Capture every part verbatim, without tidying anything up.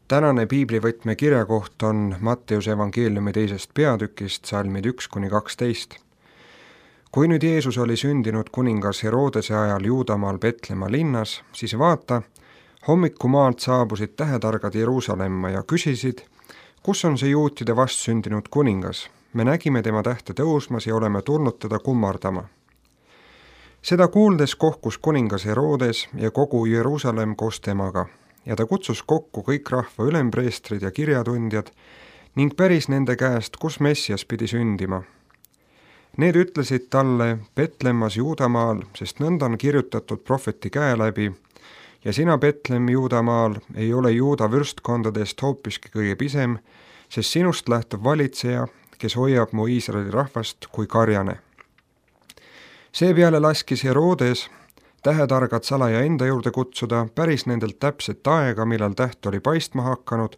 Tänane piiblivõtme kirjakoht on Matteuse evangeeliumi teisest peatükist, salmid üks kuni kaksteist. Kui nüüd Jeesus oli sündinud kuningas Herodese ajal Juudamaal Petlemma linnas, siis vaata, hommikumaalt saabusid tähetargad Jeruusalemma ja küsisid, kus on see juutide vastsündinud kuningas? Me nägime tema tähte tõusmas ja oleme tulnud teda kummardama. Seda kuuldes kohkus kuningas Herodes ja kogu Jeruusalemm koos temaga, ja ta kutsus kokku kõik rahva ülempreestrid ja kirjatundjad ning päris nende käest, kus Messias pidi sündima. Need ütlesid talle Petlemmas Juudamaal, sest nõnda on kirjutatud prohveti käe läbi, ja sina, Petlemm Juudamaal, ei ole Juuda võrstkondadest hoopiski kõige pisem, sest sinust lähtub valitseja, kes hoiab mu Iisraeli rahvast kui karjane. Seepeale laskis Herodes tähetargad salaja enda juurde kutsuda päris nendelt täpset aega, millal täht oli paistma hakanud,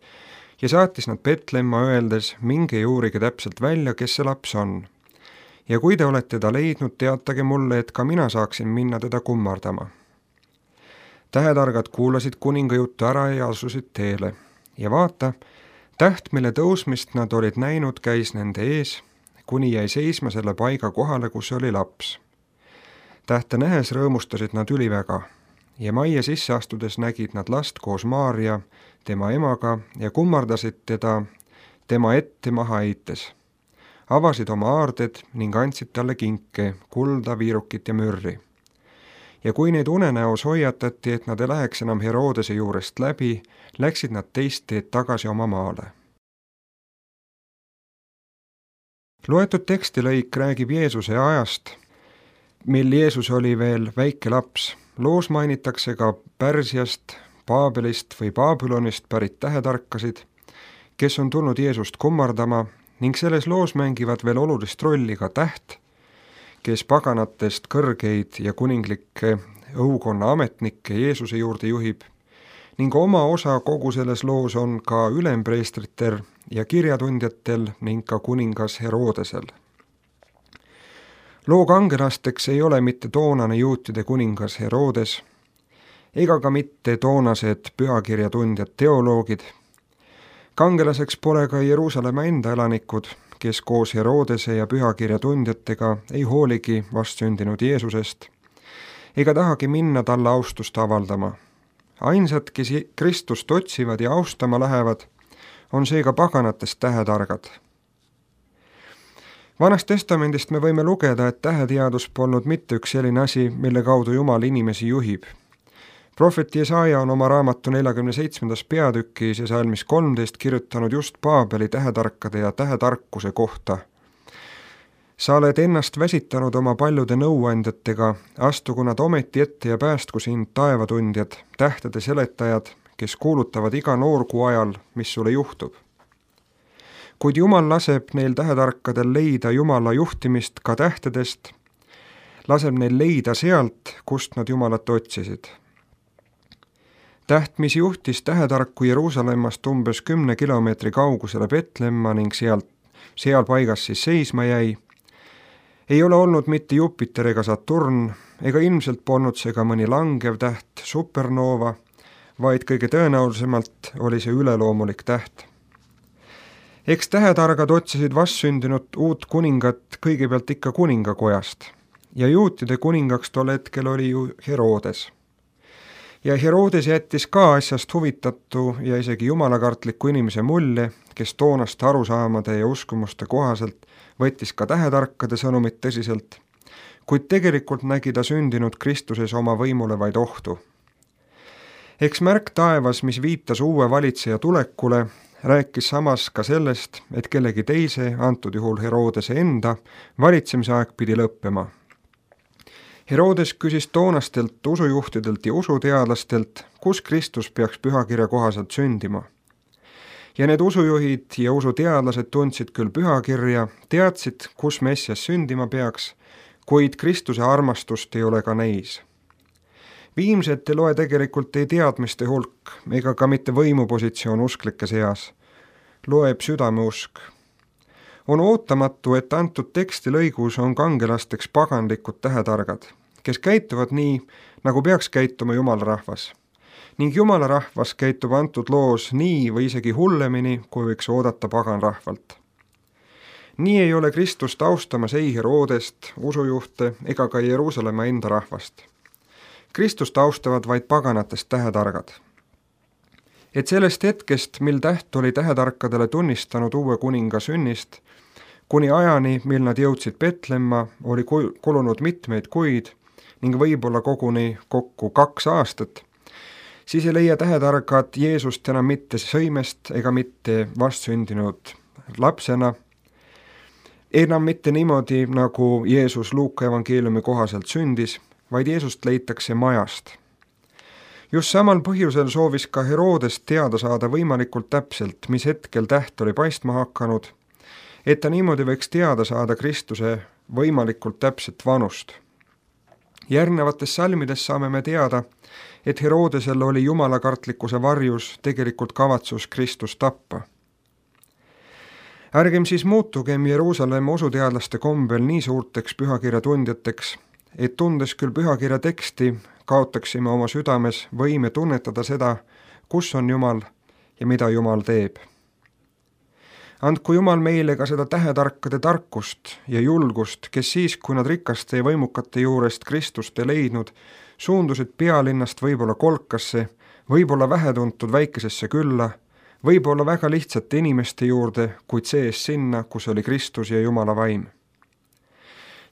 ja saatis nad Petlemma öeldes, minge ja uurige täpselt välja, kes see laps on. Ja kui te olete teda leidnud, teatage mulle, et ka mina saaksin minna teda kummardama. Tähetargad kuulasid kuninga juttu ära ja asusid teele. Ja vaata, täht, mille tõusmist nad olid näinud, käis nende ees, kuni jäi seisma selle paiga kohale, kus oli laps. Tähte nähes rõõmustasid nad üliväga ja majja sisse astudes nägid nad last koos Maaria, tema emaga, ja kummardasid teda tema ette maha heites. Avasid oma aarded ning andsid talle kinke, kulda, viirukit ja mürri. Ja kui neid unenäos hoiatati, et nad ei läheks enam Herodese juurest läbi, läksid nad teist teed tagasi oma maale. Loetud tekstilõik räägib Jeesuse ajast, mil Jeesus oli veel väike laps. Loos mainitakse ka Pärsiast, Paabelist või Babylonist pärit tähetarkasid, kes on tulnud Jeesust kummardama, ning selles loos mängivad veel olulist rolli ka täht, kes paganatest kõrgeid ja kuninglikke õukonna ametnikke Jeesuse juurde juhib, ning oma osa kogu selles loos on ka ülempreestritel ja kirjatundjatel ning ka kuningas Herodesel. Loo kangelasteks ei ole mitte toonane juutide kuningas Herodes, ega ka mitte toonased pühakirjatundjad teoloogid. Kangelaseks pole ka Jeruusalemma enda elanikud, kes koos Herodese ja pühakirjatundjatega ei hooligi vastsündinud Jeesusest, ega tahagi minna talle austust avaldama. Ainsad, kes Kristust otsivad ja austama lähevad, on seega paganatest tähetargad. Vanast testamendist me võime lugeda, et täheteadus polnud mitte üks selline asi, mille kaudu Jumal inimesi juhib. Prohvet Jesaja on oma raamatu neljakümne seitsmendas peatükis ja salmis kolmteist kirjutanud just Paabeli tähetarkade ja tähetarkuse kohta. Sa oled ennast väsitanud oma paljude nõuandjatega, astugu nad ometi ette ja päästku sind taevatundjad, tähtede seletajad, kes kuulutavad iga noorkuu ajal, mis sulle juhtub. Kuid Jumal laseb neil tähetarkadel leida Jumala juhtimist ka tähtedest, laseb neil leida sealt, kust nad Jumalat otsisid. Täht, mis juhtis tähetarku Jeruusalemmast umbes kümne kilomeetri kaugusele Petlemma ning seal, seal paigas siis seisma jäi, ei ole olnud mitte Jupiter ega Saturn, ega ilmselt polnud see ka mõni langev täht, supernova, vaid kõige tõenäolisemalt oli see üleloomulik täht. Eks tähetargad otsisid vastsündinud uut kuningat kõigepealt ikka kuningakojast ja juutide kuningaks tol hetkel oli ju Herodes. Ja Herodes jättis ka asjast huvitatu ja isegi jumalakartliku inimese mulje, kes toonaste arusaamade ja uskumuste kohaselt võttis ka tähetarkade sõnumit tõsiselt, kuid tegelikult nägi ta sündinud Kristuses oma võimule vaid ohtu. Eks märk taevas, mis viitas uue valitseja tulekule, rääkis samas ka sellest, et kellegi teise, antud juhul Herodese enda, valitsemise aeg pidi lõppema. Herodes küsis toonastelt usujuhtidelt ja usuteadlastelt, kus Kristus peaks pühakirja kohaselt sündima. Ja need usujuhid ja usuteadlased tundsid küll pühakirja, teadsid, kus Messias sündima peaks, kuid Kristuse armastust ei ole ka neis. Viimset ei loe tegelikult ei teadmiste hulk ega ka mitte võimupositsioon usklike seas. Loeb südameusk. On ootamatu, et antud teksti lõigus on kangelasteks paganlikud tähetargad, kes käituvad nii, nagu peaks käituma jumalarahvas. ning Jumala rahvas käitub antud loos nii või isegi hullemini, kui võiks oodata paganrahvalt. Nii ei ole Kristust austamas ei Herodest, usujuhte ega ka Jeruusalemma enda rahvast. Kristust austavad vaid paganatest tähetargad. Et sellest hetkest, mil täht oli tähetarkadele tunnistanud uue kuninga sünnist, kuni ajani, mil nad jõudsid Petlemma, oli kulunud mitmeid kuid ning võib-olla koguni kokku kaks aastat, siis ei leia tähetargad Jeesust enam mitte sõimest ega mitte vastsündinud lapsena, enam mitte niimoodi, nagu Jeesus Luuka evangeeliumi kohaselt sündis, vaid Jeesust leitakse majast. Just samal põhjusel soovis ka Herodes teada saada võimalikult täpselt, mis hetkel täht oli paistma hakanud, et ta niimoodi võiks teada saada Kristuse võimalikult täpset vanust. Järgnevates salmides saame me teada, et Herodesel oli jumalakartlikkuse varjus tegelikult kavatsus Kristust tappa. Ärgem siis muutugem Jeruusalemma usuteadlaste kombel nii suurteks pühakirja tundjateks, et tundes küll pühakirja teksti, kaotaksime oma südames võime tunnetada seda, kus on Jumal ja mida Jumal teeb. Andku Jumal meile ka seda tähetarkade tarkust ja julgust, kes siis, kui nad rikaste ja võimukate juurest Kristust ei leidnud, suundusid pealinnast võib-olla kolkasse, võib-olla vähetuntud väikesesse külla, võib-olla väga lihtsate inimeste juurde, kuid sees sinna, kus oli Kristus ja Jumala vaim.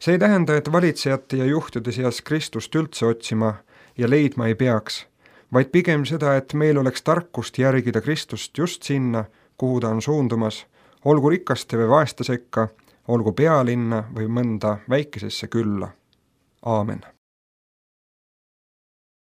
See ei tähenda, et valitsejate ja juhtide seas Kristust üldse otsima ja leidma ei peaks, vaid pigem seda, et meil oleks tarkust järgida Kristust just sinna, kuhu ta on suundumas, olgu rikaste või vaeste sekka, olgu pealinna või mõnda väikesesse külla. Aamen.